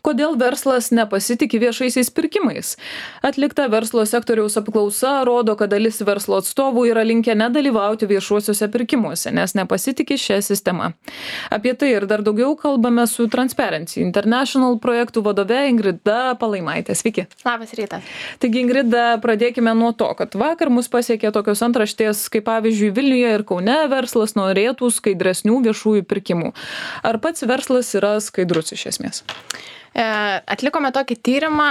Kodėl verslas nepasitikė viešaisiais pirkimais? Atlikta verslo sektoriaus apklausa rodo, kad dalis verslo atstovų yra linkę nedalyvauti viešuosiuose pirkimuose, nes nepasitikė šią sistemą. Apie tai ir dar daugiau kalbame su Transparency International projektų vadove Ingrida Palaimaitė. Sveiki. Labas rytas. Taigi, Ingrida, pradėkime nuo to, kad vakar mus pasiekė tokios antraštės, kaip pavyzdžiui Vilniuje ir Kaune verslas norėtų skaidresnių viešųjų pirkimų. Ar pats verslas yra skaidrus iš esmės? Atlikome tokį tyrimą,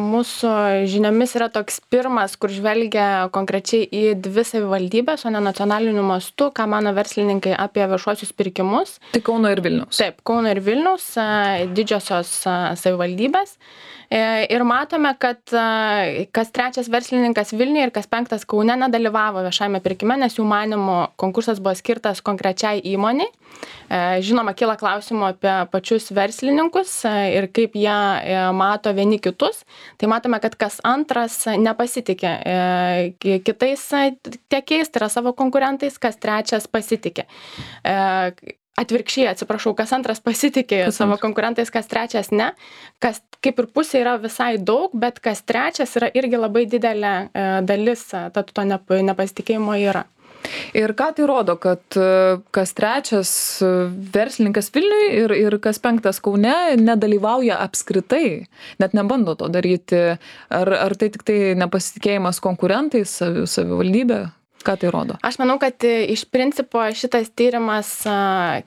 mūsų žiniomis yra toks pirmas, kur žvelgia konkrečiai į 2 savivaldybės, o ne nacionaliniu mastu, ką mano verslininkai apie viešuosius pirkimus. Tai Kauno ir Vilniaus. Taip, Kauno ir Vilniaus, didžiosios savivaldybės. Ir matome, kad kas 3 verslininkas Vilniuje ir kas 5 Kaune nedalyvavo viešajame pirkime, nes jų manymu konkursas buvo skirtas konkrečiai įmoniai. Žinoma, kyla klausimų apie pačius verslininkus ir kaip jie mato vieni kitus. Tai matome, kad kas 2 nepasitikė kitais tiekėjais, tai yra savo konkurentais, kas 3 pasitikė. Atvirkščiai, atsiprašau, kas 2 pasitikė savo konkurentais, kas 3 ne. Kas kaip ir pusė yra visai daug, bet kas 3 yra irgi labai didelė dalis, tad to nepasitikėjimo yra. Ir ką tai rodo, kad kas 3 verslininkas Vilniuje ir kas 5 Kaune nedalyvauja apskritai, net nebando to daryti? Ar tai tik tai nepasitikėjimas konkurentais, savivaldybė? Ką tai rodo? Aš manau, kad iš principo šitas tyrimas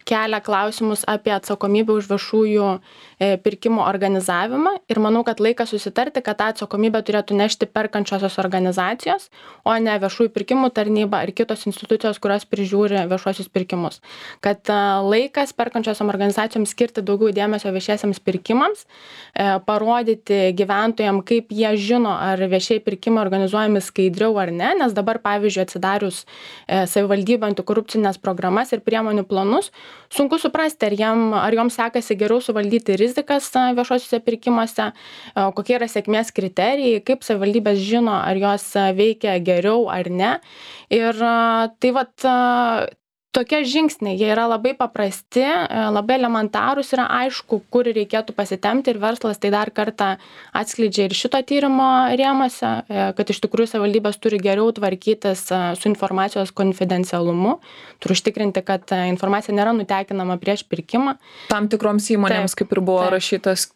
kelia klausimus apie atsakomybę už viešųjų pirkimų organizavimą ir manau, kad laikas susitarti, kad tą atsakomybę turėtų nešti perkančiosios organizacijos, o ne viešųjų pirkimų tarnyba ar kitos institucijos, kurios prižiūri viešuosius pirkimus. Kad laikas perkančiosiom organizacijoms skirti daugiau dėmesio viešiesiams pirkimams, parodyti gyventojams, kaip jie žino, ar viešieji pirkimai organizuojami skaidriau ar ne, nes dabar, pavyzdžiui, atsidarius savivaldybių antikorupcinės programas ir priemonių planus, sunku suprasti, ar joms sekasi geriau suvaldyti rizikas viešuosiuose pirkimuose, kokie yra sėkmės kriterijai, kaip savivaldybės žino, ar jos veikia geriau ar ne. Ir tai vat tokie žingsniai, jie yra labai paprasti, labai elementarūs, yra aišku, kur reikėtų pasitempti ir verslas tai dar kartą atskleidžia ir šito tyrimo rėmuose, kad iš tikrųjų savivaldybės turi geriau tvarkytis su informacijos konfidencialumu, turi užtikrinti, kad informacija nėra nutekinama prieš pirkimą. Tam tikroms įmonėms, kaip ir buvo rašytas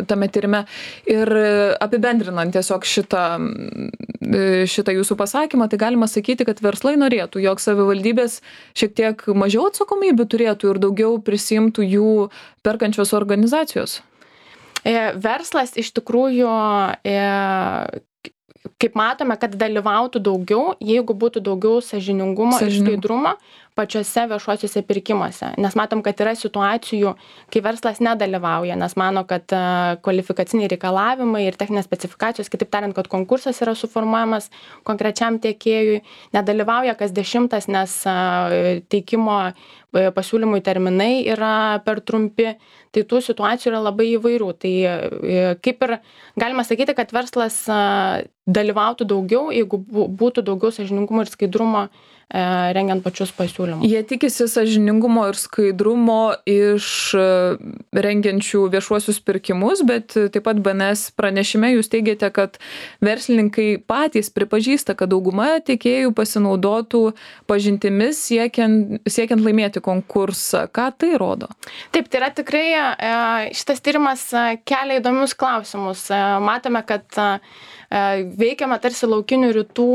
tame tyrime. Ir apibendrinant tiesiog šitą jūsų pasakymą, tai galima sakyti, kad verslai norėtų, jog savivaldybės šiek tiek mažiau atsakomybių turėtų ir daugiau prisimtų jų perkančios organizacijos? Verslas iš tikrųjų, kaip matome, kad dalyvautų daugiau, jeigu būtų daugiau sąžiningumo ir skaidrumo pačiose viešuosiuose pirkimuose. Nes matom, kad yra situacijų, kai verslas nedalyvauja, nes mano, kad kvalifikaciniai reikalavimai ir techninės specifikacijos, kitaip tariant, kad konkursas yra suformuojamas konkrečiam tiekėjui, nedalyvauja kas 10, nes teikimo pasiūlymui terminai yra per trumpi. Tai tų situacijų yra labai įvairių. Tai kaip ir galima sakyti, kad verslas dalyvautų daugiau, jeigu būtų daugiau sąžiningumo ir skaidrumo rengiant pačius pasiūlymus. Jie tikisi sąžiningumo ir skaidrumo iš rengiančių viešuosius pirkimus, bet taip pat BNS pranešime jūs teigiate, kad verslininkai patys pripažįsta, kad dauguma tiekėjų pasinaudotų pažintimis siekiant laimėti konkursą. Ką tai rodo? Taip, tai yra tikrai šitas tyrimas kelia įdomius klausimus. Matome, kad veikiama tarsi laukinių rytų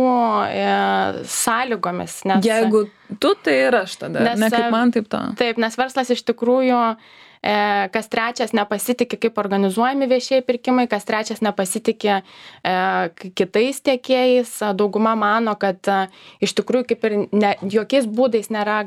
sąlygomis. Nes, jeigu tu, tai ir aš tada, ne kaip man taip ta. Taip, nes verslas iš tikrųjų kas 3 nepasitikė, kaip organizuojami viešieji pirkimai, kas 3 nepasitikė kitais tiekėjais. Dauguma mano, kad iš tikrųjų kaip ir jokiais būdais nėra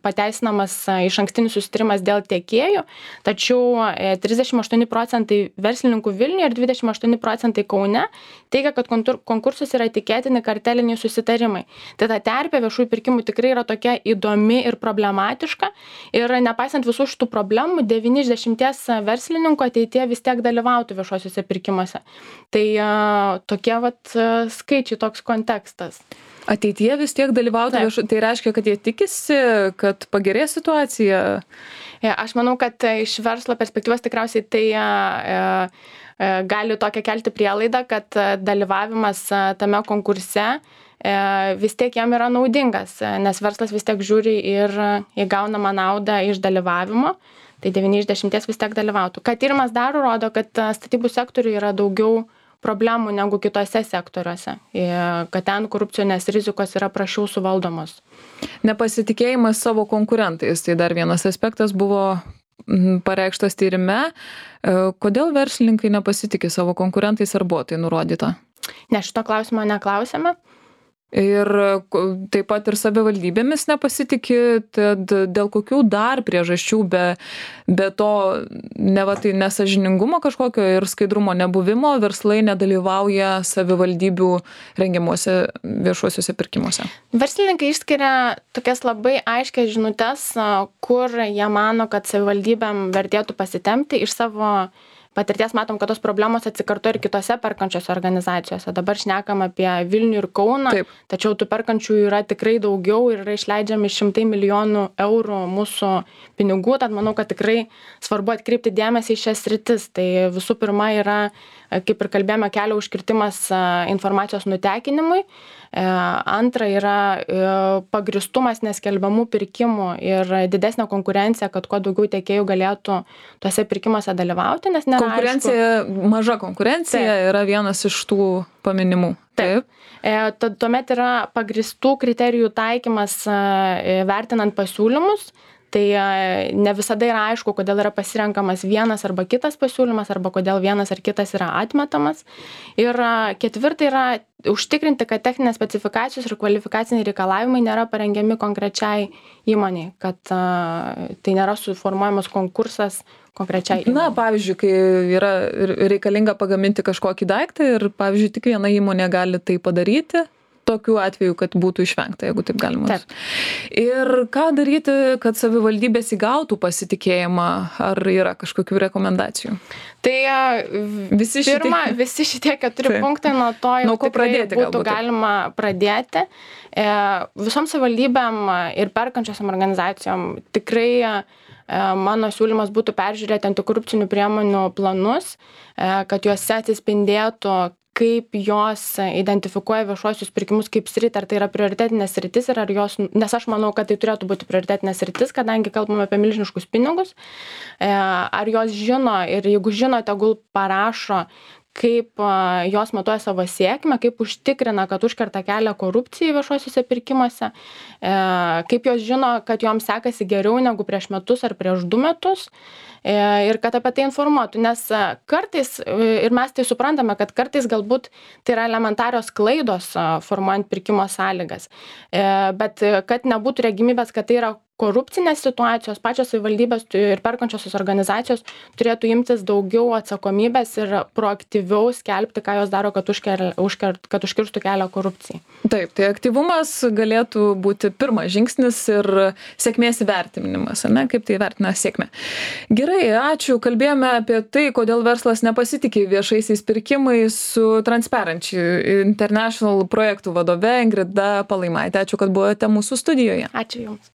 pateisinamas išankstinis susitarimas dėl tiekėjų, tačiau 38% verslininkų Vilniuje ir 28% Kaune teigia, kad konkursus yra tikėtini karteliniai susitarimai. Tai ta terpė viešųjų pirkimų tikrai yra tokia įdomi ir problematiška ir nepaisant visų šitų problemų, 9 iš 10 verslininkų ateityje vis tiek dalyvautų viešuosiuose pirkimuose. Tai tokie skaičiai, toks kontekstas. Ateityje vis tiek dalyvauti tai reiškia, kad jie tikisi, kad pagerės situacija? Aš manau, kad iš verslo perspektyvos tikriausiai tai gali tokią kelti prielaidą, kad dalyvavimas tame konkurse vis tiek jam yra naudingas, nes verslas vis tiek žiūri ir įgaunamą naudą iš dalyvavimo, tai 9 iš 10 vis tiek dalyvautų. Ką tyrimas daro, rodo, kad statybų sektoriuje yra daugiau problemų negu kitose sektoriuose, kad ten korupcinės rizikos yra prašiau suvaldomos. Nepasitikėjimas savo konkurentais, tai dar vienas aspektas buvo pareikštas tyrime. Kodėl verslininkai nepasitikė savo konkurentais, ar buvo tai nurodyta? Ne, šito klausimo neklausėme. Ir taip pat ir savivaldybėmis nepasitikė, tad dėl kokių dar priežasčių be to tai nesąžiningumo kažkokio ir skaidrumo nebuvimo verslai nedalyvauja savivaldybių rengiamuose viešuosiuose pirkimuose? Verslininkai išskiria tokias labai aiškias žinutes, kur jie mano, kad savivaldybėm vertėtų pasitempti. Iš savo patirties matom, kad tos problemos atsikartoja ir kitose perkančiose organizacijose. Dabar šnekam apie Vilnių ir Kauną, tačiau tų perkančiųjų yra tikrai daugiau ir yra išleidžiami 100 milijonų eurų mūsų pinigų, tad manau, kad tikrai svarbu atkreipti dėmesį į šias sritis. Tai visų pirma yra, kaip ir kalbėjome, kelio užkirtimas informacijos nutekinimui. Antra yra pagristumas neskelbiamų pirkimų ir didesnė konkurencija, kad kuo daugiau tiekėjų galėtų tuose pirkimuose dalyvauti, nes nėra konkurencija, maža konkurencija yra vienas iš tų paminimų. Taip. Tuomet yra pagristų kriterijų taikymas vertinant pasiūlymus. Tai ne visada yra aišku, kodėl yra pasirenkamas vienas arba kitas pasiūlymas, arba kodėl vienas ar kitas yra atmetamas. Ir ketvirta yra užtikrinti, kad techninės specifikacijos ir kvalifikaciniai reikalavimai nėra parengiami konkrečiai įmoniai, kad tai nėra suformuojamas konkursas konkrečiai įmonei. Na, pavyzdžiui, kai yra reikalinga pagaminti kažkokį daiktą ir, pavyzdžiui, tik viena įmonė gali tai padaryti, tokiu atveju, kad būtų išvengta, jeigu taip galima. Taip. Ir ką daryti, kad savivaldybės įgautų pasitikėjimą, ar yra kažkokių rekomendacijų? Tai visi šitie 4 punktai nuo to jau būtų galima pradėti. Visom savivaldybėm ir perkančiosiam organizacijom tikrai mano siūlymas būtų peržiūrėti antikorupcinių priemonių planus, kad juose atsispindėtų, kaip jos identifikuoja viešuosius pirkimus kaip sritį, ar tai yra prioritetinės sritis ir ar jos, nes aš manau, kad tai turėtų būti prioritetinės sritis, kadangi kalbame apie milžiniškus pinigus, ar jos žino ir jeigu žino, tegul parašo, kaip jos matuoja savo sėkmę, kaip užtikrina, kad užkerta kelią korupcijai viešuosiuose pirkimuose, kaip jos žino, kad joms sekasi geriau negu prieš metus ar prieš 2 metus ir kad apie tai informuotų, nes kartais, ir mes tai suprantame, kad kartais galbūt tai yra elementarios klaidos formuojant pirkimo sąlygas, bet kad nebūtų regimybės, kad tai yra korupcinės situacijos, pačios savivaldybės ir perkančiosios organizacijos turėtų imtis daugiau atsakomybės ir proaktyviau skelbti, ką jos daro, kad užkirstų kelią korupcijai. Taip, tai aktyvumas galėtų būti pirmas žingsnis ir sėkmės įvertinimas, ne? Kaip tai vertina sėkmę. Gerai, ačiū. Kalbėjome apie tai, kodėl verslas nepasitikė viešaisiais pirkimais su Transparency International projektų vadove Ingrida Palaimaitė. Ačiū, kad buvote mūsų studijoje. Ačiū Jums.